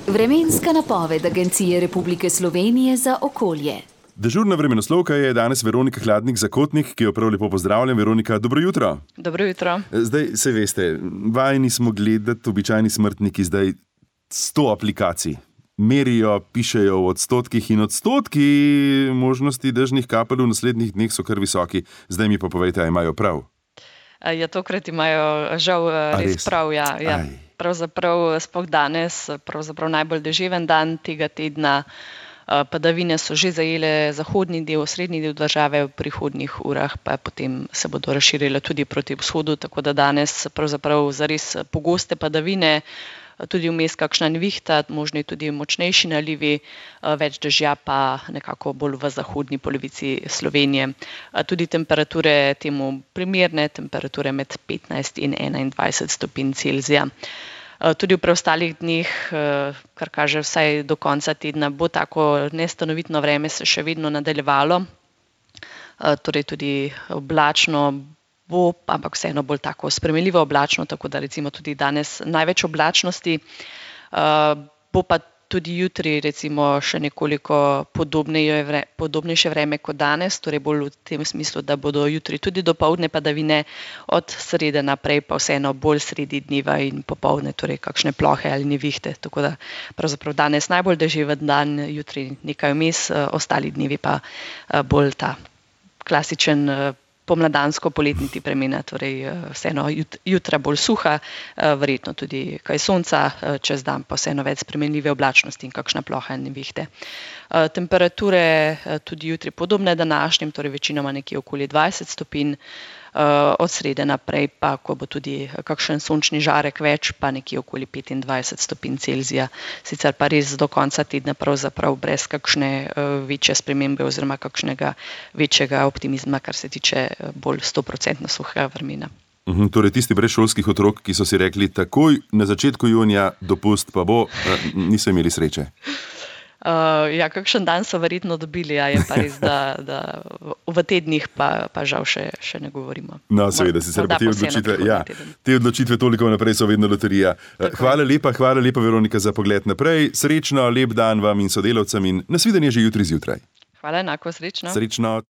Vremenska napoved Agencije Republike Slovenije za okolje. Dežurna vremenoslovka je danes Veronika Hladnik-Zakotnik, ki jo prav lepo pozdravljam. Veronika, dobro jutro. Dobro jutro. Zdaj, se veste, vajeni smo gledati, običajni smrtniki, zdaj 100 aplikacij. Merijo, pišejo v odstotkih in odstotki možnosti dežnih kapelj v naslednjih dneh so kar visoki. Zdaj mi pa povejte, a imajo prav? Ja, tokrat imajo žal res prav, ja. Pravzaprav sploh danes, najbolj deževen dan tega tedna. Padavine so že zajele zahodni del, srednji del države, v prihodnjih urah pa potem se bodo razširile tudi proti vzhodu, tako da danes pravzaprav zares pogoste padavine, tudi vmes kakšna nevihta, možni tudi močnejši nalivi, več dežja pa nekako bolj v zahodni polovici Slovenije. Tudi temperature temu primerne, temperature med 15 in 21 stopinj Celzija. Tudi v preostalih dneh, kar kaže vsaj do konca tedna, bo tako nestanovitno vreme se še vedno nadaljevalo. Torej tudi oblačno bo, ampak vseeno bolj tako spremenljivo oblačno, tako da recimo tudi danes največ oblačnosti. Bo pa tudi jutri recimo še nekoliko podobnejše vreme kot danes, torej bolj v tem smislu, da bodo jutri tudi dopoldne padavine, od srede naprej pa vseeno bolj sredi dneva in popoldne, torej kakšne plohe ali nevihte. Tako da pravzaprav danes najbolj deževen dan, jutri nekaj vmes, ostali dnevi pa bolj ta klasičen pomladansko-poletni tip vremena, torej vseeno jutra bolj suha, verjetno tudi kaj sonca, čez dan pa vseeno več spremenljive oblačnosti in kakšna ploha in nevihte. Temperature tudi jutri podobne današnjim, torej večinoma nekje okoli 20 stopinj, od srede naprej pa, ko bo tudi kakšen sončni žarek več, pa nekje okoli 25 stopinj Celzija. Sicer pa res do konca tedna pravzaprav brez kakšne večje spremembe oziroma kakšnega večjega optimizma, kar se tiče bolj 100% suhega vremena. Torej tisti brez šolskih otrok, ki so si rekli takoj na začetku junija dopust pa bo, niso imeli sreče. Ja, kakšen dan so verjetno dobili, a je pa res, da v tednih pa žal še ne govorimo. No, seveda, sicer pa te odločitve toliko naprej so vedno loterija. Hvala lepa, Veronika, za pogled naprej. Srečno, lep dan vam in sodelavcem in nasvidenje že jutri zjutraj. Hvala, enako, srečno. Srečno.